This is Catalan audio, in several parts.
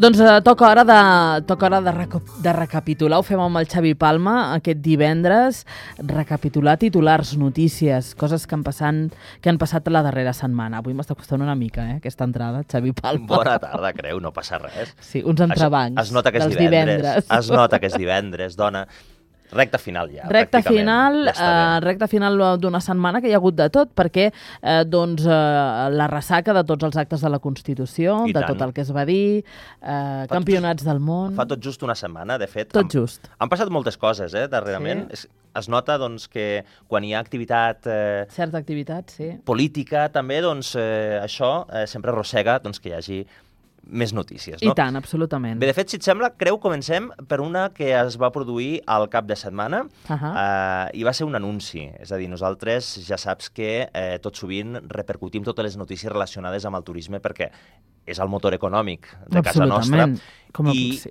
Doncs toca hora de recapitular. Ho fem amb el Xavi Palma aquest divendres. Recapitular titulars, notícies, coses que han passat la darrera setmana. Avui m'està costant una mica, aquesta entrada, Xavi Palma. Bona tarda, creu, no passa res. Sí, uns entrebancs es nota que és divendres. Es nota que és divendres, dona. Recta final ja, recta final d'una setmana que hi ha hagut de tot, perquè la ressaca de tots els actes de la Constitució, de tot el que es va dir, campionats del món... Fa tot just una setmana, de fet. Tot just. Han passat moltes coses, darrerament. Sí. Es nota que quan hi ha activitat... Certa activitat, sí. Política, també, això sempre arrossega que hi hagi més notícies, no? I tant, absolutament. Bé, de fet, si et sembla, comencem per una que es va produir al cap de setmana i va ser un anunci. És a dir, nosaltres ja saps que tot sovint repercutim totes les notícies relacionades amb el turisme perquè és el motor econòmic de casa nostra.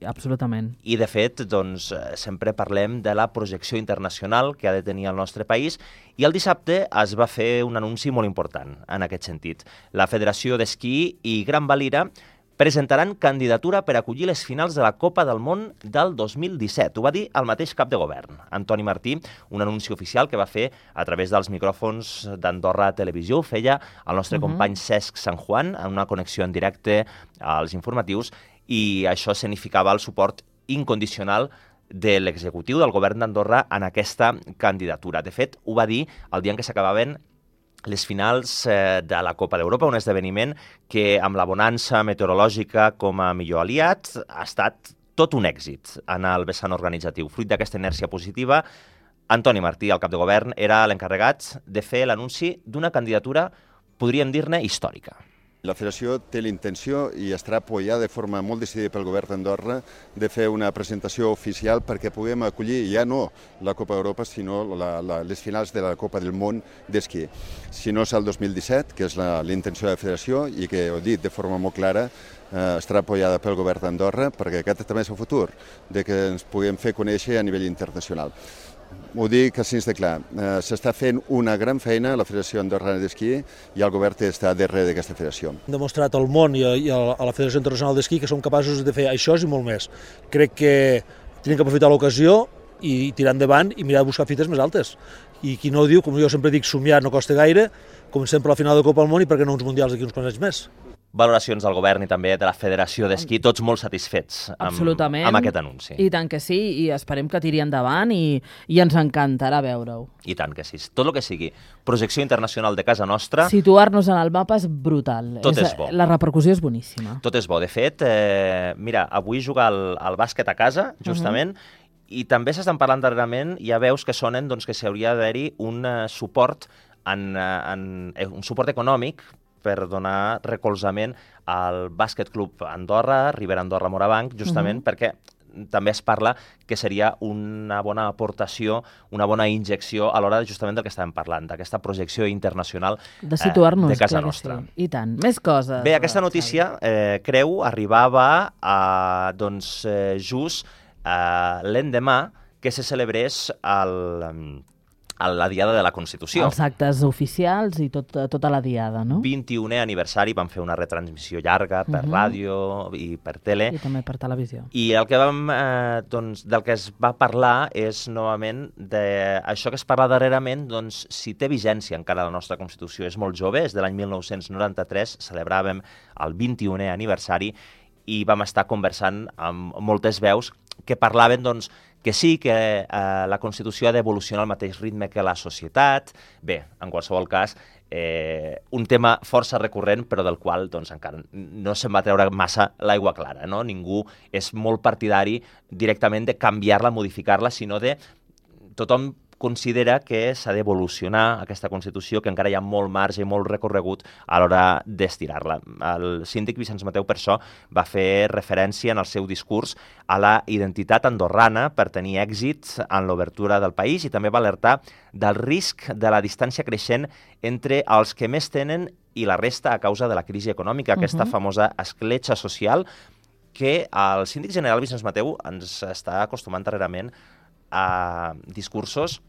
Absolutament. I, de fet, sempre parlem de la projecció internacional que ha de tenir el nostre país i el dissabte es va fer un anunci molt important en aquest sentit. La Federació d'Esquí i Gran Valira presentaran candidatura per acollir les finals de la Copa del Món del 2017. Ho va dir el mateix cap de govern, Antoni Martí, un anunci oficial que va fer a través dels micròfons d'Andorra Televisió. Ho feia el nostre company Cesc Sant Juan en una connexió en directe als informatius i això significava el suport incondicional de l'executiu del govern d'Andorra en aquesta candidatura. De fet, ho va dir el dia en què s'acabaven les finals de la Copa d'Europa, un esdeveniment que, amb la bonança meteorològica com a millor aliat, ha estat tot un èxit en el vessant organitzatiu. Fruit d'aquesta inèrcia positiva, Antoni Martí, el cap de govern, era l'encarregat de fer l'anunci d'una candidatura, podríem dir-ne, històrica. La Federació té l'intenció i estarà apoyada de forma molt decidida pel govern d'Andorra de fer una presentació oficial perquè puguem acollir ja no la Copa d'Europa, sinó les finals de la Copa del Món d'esquí. Si no és el 2017, que és la intenció de la Federació i que ho he dit de forma molt clara, estarà apoyada pel govern d'Andorra perquè aquest també és el futur, de que ens puguem fer conèixer a nivell internacional. Ho dic així de clar, s'està fent una gran feina a la Federació Andorrana d'Esquí i el govern està darrere d'aquesta federació. Hem demostrat al món i a la Federació Internacional d'Esquí que som capaços de fer això i molt més. Crec que tenim que aprofitar l'ocasió i tirar endavant i mirar de buscar fites més altes. I qui no ho diu, com jo sempre dic, somiar no costa gaire, comencem per la final de Copa del Món i per què no uns mundials d'aquí uns quants anys més. Valoracions del govern i també de la Federació d'Esquí, tots molt satisfets amb aquest anunci. I tant que sí, i esperem que tiri endavant i ens encantarà veure-ho. I tant que sí, tot el que sigui. Projecció internacional de casa nostra. Situar-nos en el mapa és brutal. Tot és bo. La repercussió és boníssima. Tot és bo. De fet, mira, avui juga el bàsquet a casa, justament, i també s'estan parlant darrerament, ja veus que sonen que s'hauria d'haver-hi un suport un suport econòmic per donar recolzament al Bàsquet Club Andorra, Ribera Andorra Morabanc, justament perquè també es parla que seria una bona aportació, una bona injecció a l'hora justament del que estàvem parlant, d'aquesta projecció internacional de situar-nos, de casa nostra. Sí. I tant, més coses. Bé, aquesta notícia, creu, arribava just l'endemà que se celebrés la Diada de la Constitució. Els actes oficials i tota la Diada, no? 21è aniversari, vam fer una retransmissió llarga per ràdio i per tele. I també per televisió. I el que del que es va parlar és, novament, d'això que es parla darrerament, si té vigència encara la nostra Constitució. És molt jove, és de l'any 1993, celebràvem el 21è aniversari i vam estar conversant amb moltes veus que parlaven, que sí, que la Constitució ha d'evolucionar al mateix ritme que la societat. Bé, en qualsevol cas, un tema força recurrent, però del qual encara no se'n va treure massa l'aigua clara, no? Ningú és molt partidari directament de canviar-la, modificar-la, sinó de tothom considera que s'ha d'evolucionar aquesta Constitució, que encara hi ha molt marge i molt recorregut a l'hora d'estirar-la. El síndic Vicenç Mateu, per això, va fer referència en el seu discurs a la identitat andorrana per tenir èxit en l'obertura del país i també va alertar del risc de la distància creixent entre els que més tenen i la resta a causa de la crisi econòmica, aquesta famosa escletxa social que el síndic general Vicenç Mateu ens està acostumant darrerament a discursos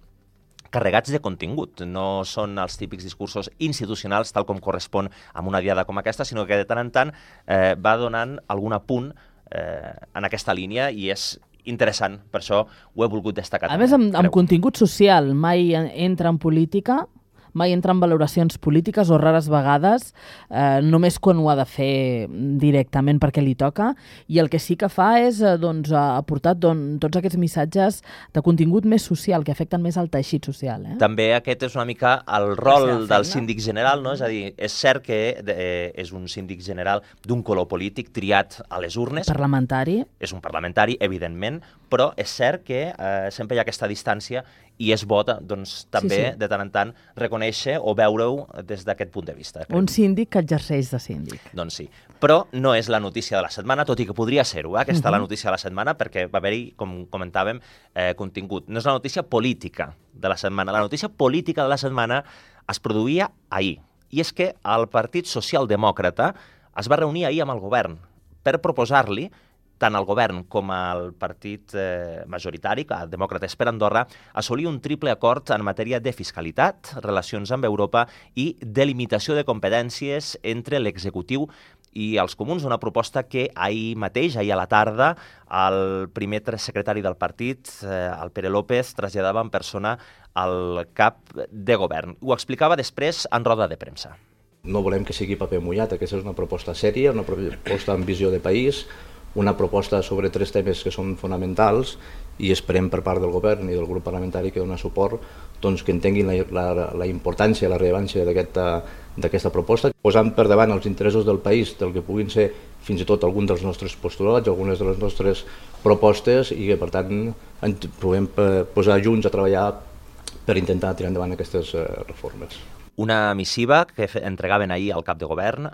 carregats de contingut. No són els típics discursos institucionals, tal com correspon a una diada com aquesta, sinó que de tant en tant va donant algun apunt en aquesta línia i és interessant, per això ho he volgut destacar. A més, amb contingut social, mai entra en política, mai entra en valoracions polítiques o rares vegades, només quan ho ha de fer directament perquè li toca, i el que sí que fa és aportar tots aquests missatges de contingut més social, que afecten més al teixit social. També aquest és una mica el rol del síndic general, no? És a dir, és cert que és un síndic general d'un color polític triat a les urnes. Parlamentari. És un parlamentari, evidentment, però és cert que sempre hi ha aquesta distància i és bo, doncs, també, de tant en tant, reconèixer o veure-ho des d'aquest punt de vista. Un síndic que exerceix de síndic. Doncs sí. Però no és la notícia de la setmana, tot i que podria ser-ho, aquesta la notícia de la setmana, perquè va haver-hi, com comentàvem, contingut. No és la notícia política de la setmana. La notícia política de la setmana es produïa ahir. I és que el Partit Socialdemòcrata es va reunir ahir amb el govern per proposar-li tant al govern com al partit majoritari, el Demòcrates per Andorra, assolir un triple acord en matèria de fiscalitat, relacions amb Europa i delimitació de competències entre l'executiu i els comuns, una proposta que ahir mateix, ahir a la tarda, el primer secretari del partit, el Pere López, traslladava en persona al cap de govern. Ho explicava després en roda de premsa. No volem que sigui paper mullat, aquesta és una proposta sèria, una proposta amb visió de país, una proposta sobre 3 temes que són fonamentals i esperem per part del govern i del grup parlamentari que dona suport doncs, que entenguin la importància i la rellevància d'aquesta proposta, posant per davant els interessos del país, del que puguin ser fins i tot alguns dels nostres postulats, algunes de les nostres propostes i que per tant ens puguem posar junts a treballar per intentar tirar endavant aquestes reformes. Una missiva que entregaven ahir al cap de govern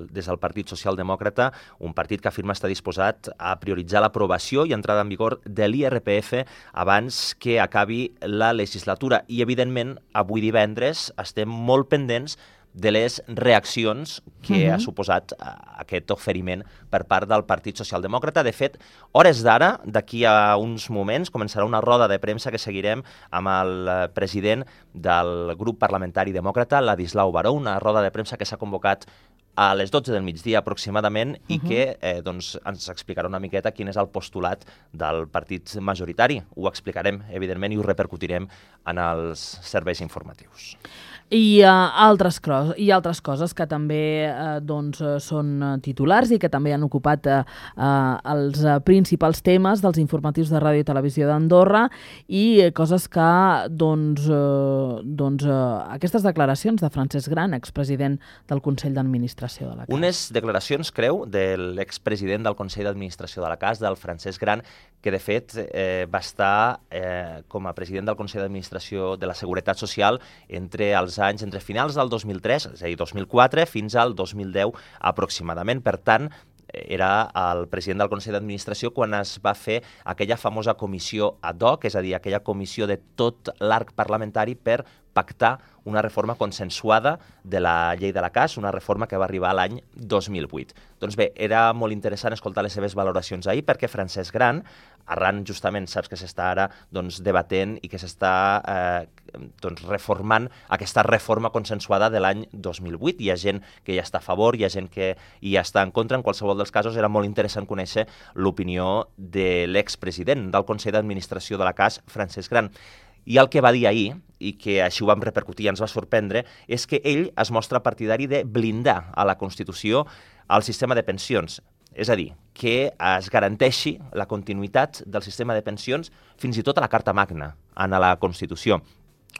des del Partit Socialdemòcrata, un partit que afirma estar disposat a prioritzar l'aprovació i entrada en vigor de l'IRPF abans que acabi la legislatura. I, evidentment, avui divendres estem molt pendents de les reaccions que ha suposat aquest oferiment per part del Partit Socialdemòcrata. De fet, hores d'ara, d'aquí a uns moments, començarà una roda de premsa que seguirem amb el president del grup parlamentari demòcrata, Ladislau Baró, una roda de premsa que s'ha convocat a les 12 del migdia aproximadament i que doncs, ens explicarà una miqueta quin és el postulat del partit majoritari. Ho explicarem, evidentment, i ho repercutirem en els serveis informatius. I altres coses que també són titulars i que també han ocupat els principals temes dels informatius de Ràdio i Televisió d'Andorra i coses que aquestes declaracions de Francesc Gran, expresident del Consell d'Administració de la CAS. Unes declaracions, creu, de l'expresident del Consell d'Administració de la CAS, del Francesc Gran, que de fet va estar com a president del Consell d'Administració de la Seguretat Social entre finals del 2003, és a dir, 2004, fins al 2010 aproximadament. Per tant, era el president del Consell d'Administració quan es va fer aquella famosa comissió ad hoc, és a dir, aquella comissió de tot l'arc parlamentari per pactar una reforma consensuada de la llei de la CAS, una reforma que va arribar l'any 2008. Doncs bé, era molt interessant escoltar les seves valoracions ahir perquè Francesc Gran, arran justament, saps que s'està ara debatent i que s'està reformant aquesta reforma consensuada de l'any 2008. Hi ha gent que hi està a favor, hi ha gent que hi està en contra. En qualsevol dels casos, era molt interessant conèixer l'opinió de l'expresident del Consell d'Administració de la CAS, Francesc Gran. I el que va dir ahir, i que així ho vam repercutir i ens va sorprendre, és que ell es mostra partidari de blindar a la Constitució el sistema de pensions. És a dir, que es garanteixi la continuïtat del sistema de pensions fins i tot a la Carta Magna, en la Constitució.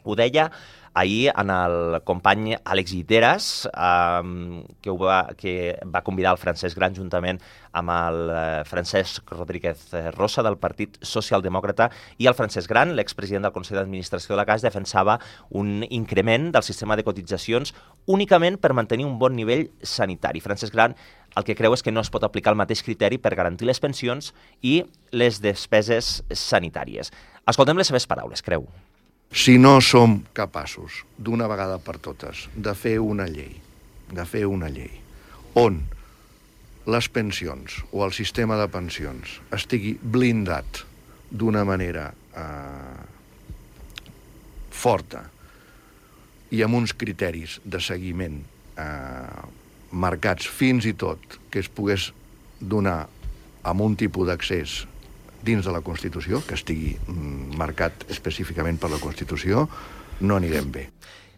Ho deia ahir en el company Àlex Guiteras, que va convidar el Francesc Gran juntament amb el Francesc Rodríguez Rosa del Partit Socialdemòcrata, i el Francesc Gran, l'expresident del Consell d'Administració de la CAS, defensava un increment del sistema de cotitzacions únicament per mantenir un bon nivell sanitari. Francesc Gran el que creu és que no es pot aplicar el mateix criteri per garantir les pensions i les despeses sanitàries. Escoltem les seves paraules, creu. Si no som capaços, d'una vegada per totes, de fer una llei on les pensions o el sistema de pensions estigui blindat d'una manera forta i amb uns criteris de seguiment marcats fins i tot que es pogués donar amb un tipus d'accés dins de la Constitució, que estigui marcat específicament per la Constitució, no anirem bé.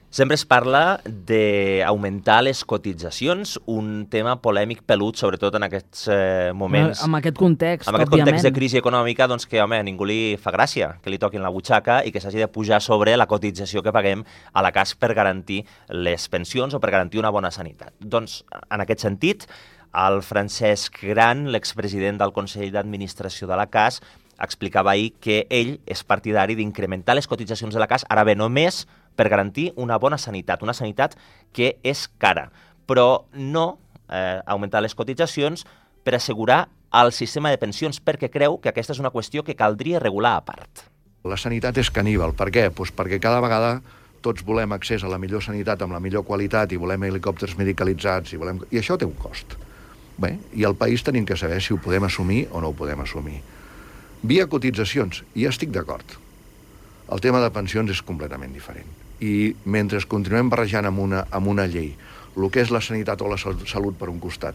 Sempre es parla d'augmentar les cotitzacions, un tema polèmic pelut, sobretot en aquests moments. Amb aquest context, amb aquest context de crisi econòmica, doncs que, home, a ningú li fa gràcia que li toquin la butxaca i que s'hagi de pujar sobre la cotització que paguem a la CAS per garantir les pensions o per garantir una bona sanitat. Doncs, en aquest sentit, el Francesc Gran, l'expresident del Consell d'Administració de la CAS, explicava ahir que ell és partidari d'incrementar les cotitzacions de la CAS, ara bé, només per garantir una bona sanitat que és cara, però no augmentar les cotitzacions per assegurar el sistema de pensions, perquè creu que aquesta és una qüestió que caldria regular a part. La sanitat és caníbal. Per què? Pues perquè cada vegada tots volem accés a la millor sanitat amb la millor qualitat i volem helicòpters medicalitzats i això té un cost. Bé, i al país tenim que saber si ho podem assumir o no ho podem assumir. Via cotitzacions, i estic d'acord. El tema de pensions és completament diferent. I mentre continuem barrejant amb una llei el que és la sanitat o la salut per un costat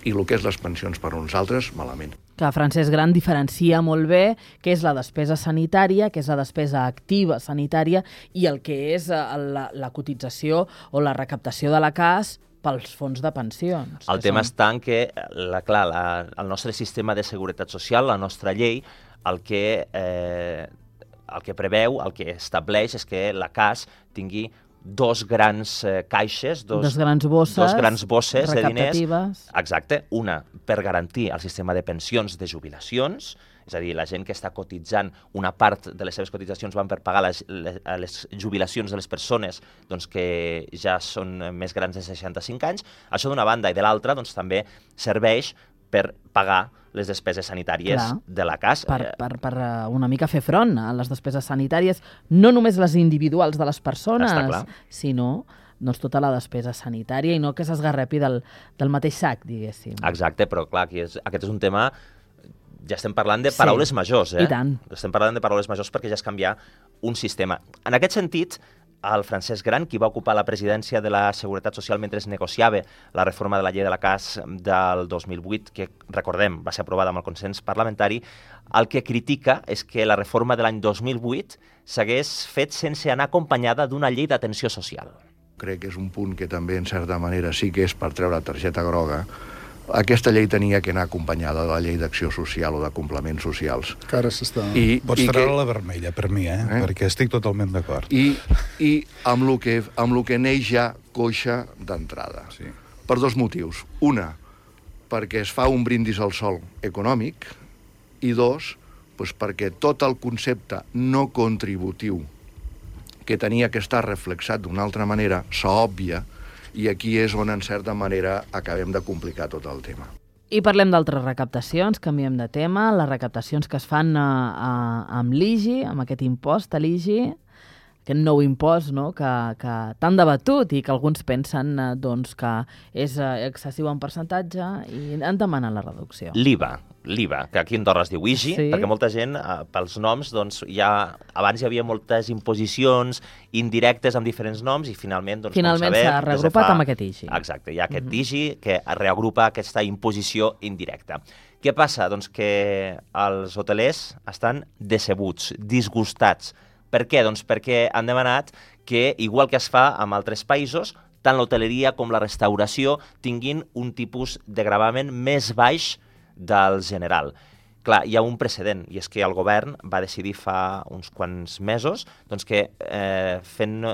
i el que és les pensions per uns altres, malament. Que Francesc Gran diferencia molt bé què és la despesa sanitària, què és la despesa activa sanitària i el que és la cotització o la recaptació de la CAS pels fons de pensions. El tema està en que, clar, el nostre sistema de seguretat social, la nostra llei, el que preveu, el que estableix és que la CAS tingui dos grans caixes, dos grans bosses de diners. Exacte, una per garantir el sistema de pensions de jubilacions, és a dir, la gent que està cotitzant, una part de les seves cotitzacions van per pagar les jubilacions de les persones doncs, que ja són més grans de 65 anys. Això d'una banda, i de l'altra doncs, també serveix per pagar les despeses sanitàries de la CAS. Per una mica fer front a les despeses sanitàries, no només les individuals de les persones, sinó doncs, tota la despesa sanitària i no que s'esgarrepi del mateix sac, diguéssim. Exacte, però clar, aquest és un tema... Ja estem parlant de paraules majors, i tant. Estem parlant de paraules majors perquè ja és canviar un sistema. En aquest sentit, el Francesc Gran, qui va ocupar la presidència de la Seguretat Social mentre es negociava la reforma de la llei de la CAS del 2008, que, recordem, va ser aprovada amb el consens parlamentari, el que critica és que la reforma de l'any 2008 s'hagués fet sense anar acompanyada d'una llei d'atenció social. Crec que és un punt que també, en certa manera, sí que és per treure targeta groga. Aquesta llei tenia que anar acompanyada de la llei d'acció social o de complements socials. Que ara s'està... Pots treure la vermella, per mi, perquè estic totalment d'acord. I amb el que neix ja coixa d'entrada. Sí. Per dos motius. Una, perquè es fa un brindis al sol econòmic, i dos, doncs perquè tot el concepte no contributiu que tenia que estar reflexat d'una altra manera s'òbvia. I aquí és on, en certa manera, acabem de complicar tot el tema. I parlem d'altres recaptacions, canviem de tema, les recaptacions que es fan amb l'IGI, amb aquest impost a l'IGI, aquest nou impost que tan debatut i que alguns pensen que és excessiu en percentatge i en demanen la reducció. L'IVA, que aquí a Andorra es diu IGI, perquè molta gent, pels noms, doncs, abans hi havia moltes imposicions indirectes amb diferents noms i finalment s'ha reagrupat amb aquest IGI. Exacte, hi ha aquest IGI que reagrupa aquesta imposició indirecta. Què passa? Doncs que els hotelers estan decebuts, disgustats. Per què? Doncs perquè han demanat que, igual que es fa en altres països, tant l'hoteleria com la restauració tinguin un tipus de gravamen més baix del general. Clar, hi ha un precedent, i és que el govern va decidir fa uns quants mesos doncs que fent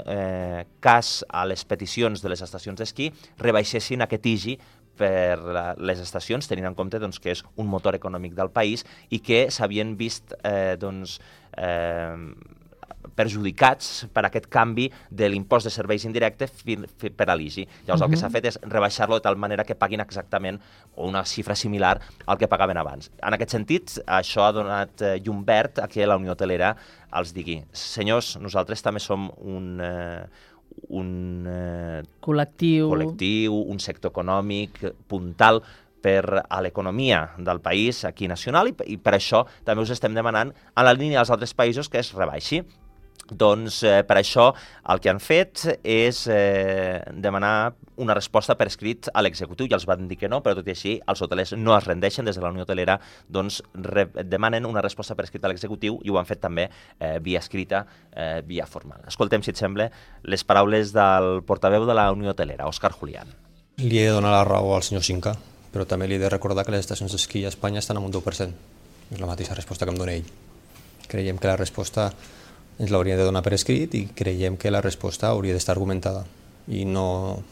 cas a les peticions de les estacions d'esquí rebaixessin aquest IGI per les estacions, tenint en compte doncs, que és un motor econòmic del país i que s'havien vist perjudicats per aquest canvi de l'impost de serveis indirectes per a l'IGI. Llavors el que s'ha fet és rebaixar-lo de tal manera que paguin exactament una xifra similar al que pagaven abans. En aquest sentit, això ha donat llum verd a que la Unió Hotelera els digui: senyors, nosaltres també som un col·lectiu, un sector econòmic puntal per a l'economia del país aquí nacional i per això també us estem demanant, en la línia dels altres països, que es rebaixi. Doncs per això el que han fet és demanar una resposta per escrit a l'executiu. Ja els van dir que no, però tot i així els hotelers no es rendeixen. Des de la Unió Hotelera doncs, demanen una resposta per escrit a l'executiu i ho han fet també via escrita, via formal. Escoltem, si et sembla, les paraules del portaveu de la Unió Hotelera, Òscar Julián. Li he de donar la raó al senyor Cinca, però també li he de recordar que les estacions d'esquí a Espanya estan en un 10%. És la mateixa resposta que em dona ell. Creiem que la resposta ens l'hauria de donar per escrit i creiem que la resposta hauria d'estar argumentada. I no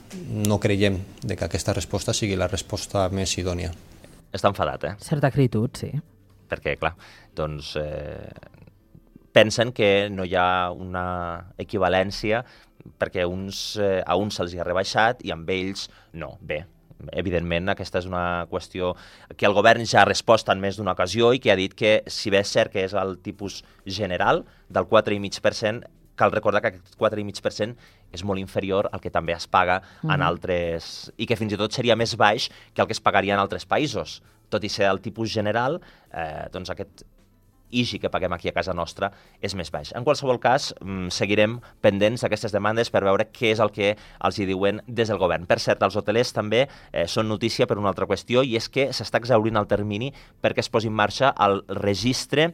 creiem que aquesta resposta sigui la resposta més idònia. Està enfadat, Certa acritud, sí. Perquè, clar, doncs pensen que no hi ha una equivalència perquè a uns se'ls ha rebaixat i amb ells no. Bé, evidentment, aquesta és una qüestió que el govern ja ha respost en més d'una ocasió i que ha dit que, si bé és cert que és el tipus general del 4,5%, cal recordar que aquest 4,5% és molt inferior al que també es paga en altres... i que fins i tot seria més baix que el que es pagaria en altres països. Tot i ser el tipus general, doncs aquest IGI que paguem aquí a casa nostra és més baix. En qualsevol cas, seguirem pendents d'aquestes demandes per veure què és el que els hi diuen des del govern. Per cert, els hotelers també són notícia per una altra qüestió i és que s'està exhaurint el termini perquè es posi en marxa el registre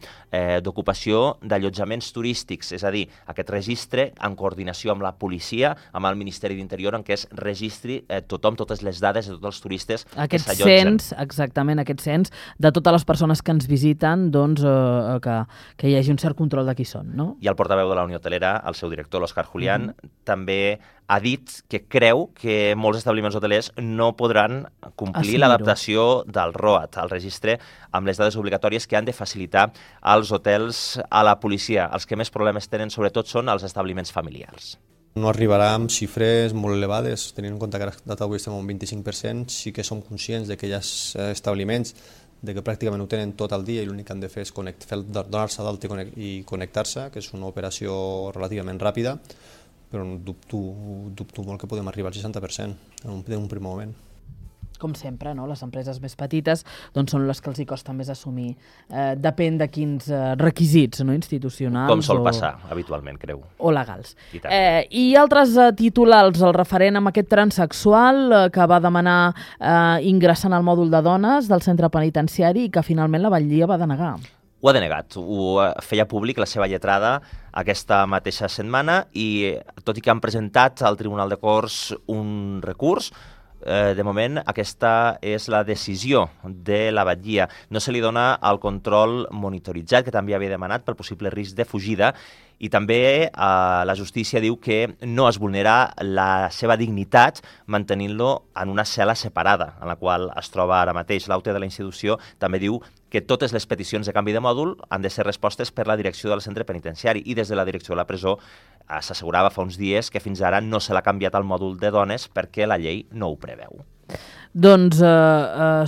d'ocupació d'allotjaments turístics, és a dir, aquest registre en coordinació amb la policia, amb el Ministeri d'Interior, en què es registri tothom, totes les dades de tots els turistes que s'allotgen. Exactament, aquest cens de totes les persones que ens visiten, doncs que hi hagi un cert control de qui són, no? I el portaveu de la Unió Hotelera, el seu director, l'Òscar Julián, també ha dit que creu que molts establiments hotelers no podran complir l'adaptació del ROAT, el registre amb les dades obligatòries que han de facilitar als hotels a la policia. Els que més problemes tenen, sobretot, són els establiments familiars. No arribarà amb xifres molt elevades, tenint en compte que a data d'avui estem a un 25%, sí que som conscients de que hi ha establiments que pràcticament ho tenen tot el dia i l'únic que han de fer és donar-se d'alta i connectar-se, que és una operació relativament ràpida, però dubto molt que podem arribar al 60% en un primer moment. Com sempre, no? Les empreses més petites doncs, són les que els hi costa més assumir. Depèn de quins requisits, no? Institucionals. Com sol passar, habitualment, creu. O legals. I altres titulars, el referent amb aquest transsexual que va demanar ingressar en el mòdul de dones del centre penitenciari i que finalment la batllia va denegar. Ho ha denegat, ho feia públic la seva lletrada aquesta mateixa setmana i tot i que han presentat al Tribunal de Corts un recurs, de moment aquesta és la decisió de la batllia. No se li dona el control monitoritzat que també havia demanat pel possible risc de fugida i també la justícia diu que no es vulnera la seva dignitat mantenint-lo en una cel·la separada en la qual es troba ara mateix. L'AUTE de la institució també diu que totes les peticions de canvi de mòdul han de ser respostes per la direcció del centre penitenciari i des de la direcció de la presó s'assegurava fa uns dies que fins ara no se l'ha canviat al mòdul de dones perquè la llei no ho preveu. Doncs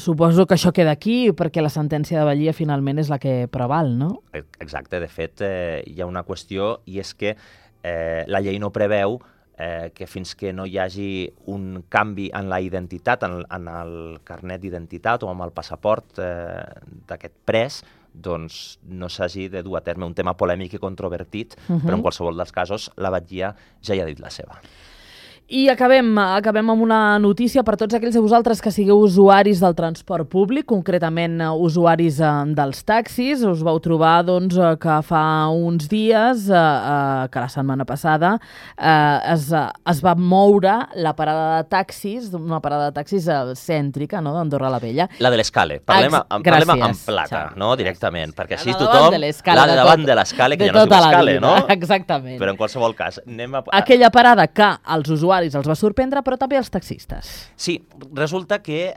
suposo que això queda aquí perquè la sentència de batllia finalment és la que preval, no? Exacte, de fet hi ha una qüestió i és que la llei no preveu que fins que no hi hagi un canvi en la identitat, en el carnet d'identitat o amb el passaport d'aquest pres, doncs no s'hagi de dur a terme un tema polèmic i controvertit, però en qualsevol dels casos la batllia ja hi ha dit la seva. I acabem amb una notícia per tots aquells de vosaltres que sigueu usuaris del transport públic, concretament usuaris dels taxis. Us vau trobar doncs, que fa uns dies, que la setmana passada, es va moure la parada de taxis, una parada de taxis cèntrica, no?, d'Andorra la Vella. La de l'Escale. Parlem en plata, no?, directament, perquè així tothom... La de davant de l'Escale, que ja no es diu l'Escale, no? Exactament. Però en qualsevol cas, anem a... Aquella parada que els usuaris els va sorprendre, però també els taxistes. Sí, resulta que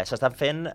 s'estan fent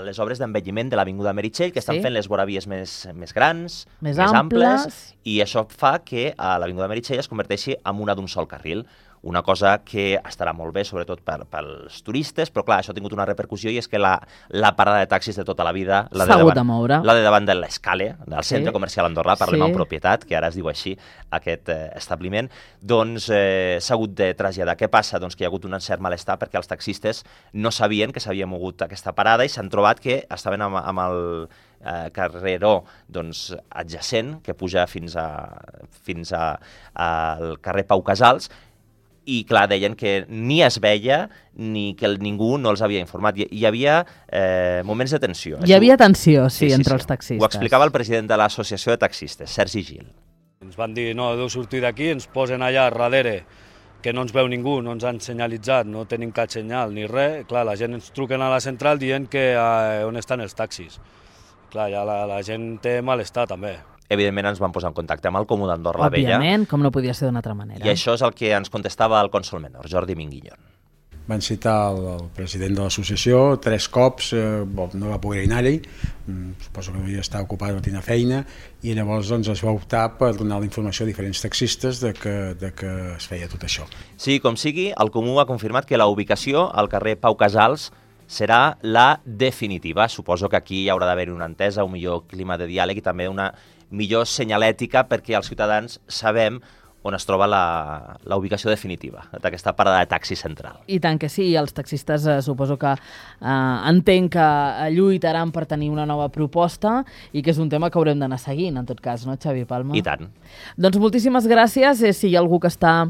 les obres d'embelliment de l'Avinguda Meritxell, que estan fent les voravies més grans, més amples, i això fa que l'Avinguda Meritxell es converteixi en una d'un sol carril. una cosa que estarà molt bé, sobretot pels turistes, però clar, això ha tingut una repercussió i és que la parada de taxis de tota la vida, la de davant de l'Escale, del centre comercial Andorra, parlem en propietat, que ara es diu així, aquest establiment, doncs s'ha hagut de traslladar. Què passa? Doncs que hi ha hagut un cert malestar perquè els taxistes no sabien que s'havia mogut aquesta parada i s'han trobat que estaven amb el carreró adjacent, que puja fins al carrer Pau Casals, i clar, deien que ni es veia ni que ningú no els havia informat. Hi havia moments de tensió. Hi havia tensió, sí, entre els taxistes. Ho explicava el president de l'Associació de Taxistes, Sergi Gil. Ens van dir, no, deu sortir d'aquí, ens posen allà darrere, que no ens veu ningú, no ens han senyalitzat, no tenim cap senyal ni res. Clar, la gent ens truquen a la central dient que on estan els taxis. Clar, ja la gent té malestar també. Evidentment ens vam posar en contacte amb el Comú d'Andorra la Vella. Òbviament, com no podia ser d'una altra manera. I això és el que ens contestava el cònsol menor, Jordi Minguillón. Van citar el president de l'associació 3 cops, no va poder anar-hi, suposo que devia estar ocupat, no tenia feina, i llavors es va optar per donar la informació a diferents taxistes de que es feia tot això. Sí, com sigui, el Comú ha confirmat que la ubicació al carrer Pau Casals serà la definitiva. Suposo que aquí hi haurà d'haver una entesa, un millor clima de diàleg i també una millor senyalètica perquè els ciutadans sabem on es troba la ubicació definitiva d'aquesta parada de taxi central. I tant que sí, els taxistes suposo que entenc que lluitaran per tenir una nova proposta i que és un tema que haurem d'anar seguint, en tot cas, no, Xavi Palma? I tant. Doncs moltíssimes gràcies. Si hi ha algú que està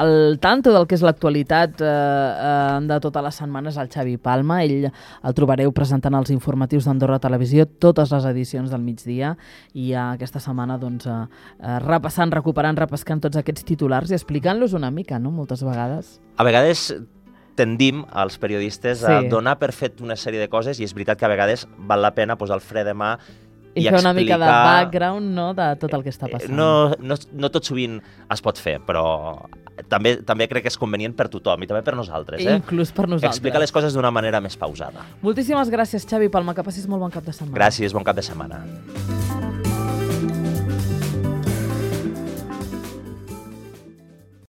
al tanto del que és l'actualitat de totes les setmanes, el Xavi Palma. Ell el trobareu presentant els informatius d'Andorra Televisió, totes les edicions del migdia, i aquesta setmana repassant, recuperant, repescant tots aquests titulars i explicant-los una mica, no?, moltes vegades. A vegades tendim, els periodistes, a donar per fet una sèrie de coses i és veritat que a vegades val la pena posar el fre de mà i fer una mica de background, no?, de tot el que està passant. No tot sovint es pot fer, però també crec que és convenient per tothom i també per nosaltres. Inclús per nosaltres. Explicar les coses d'una manera més pausada. Moltíssimes gràcies, Xavi Palma, que passis molt bon cap de setmana. Gràcies, bon cap de setmana.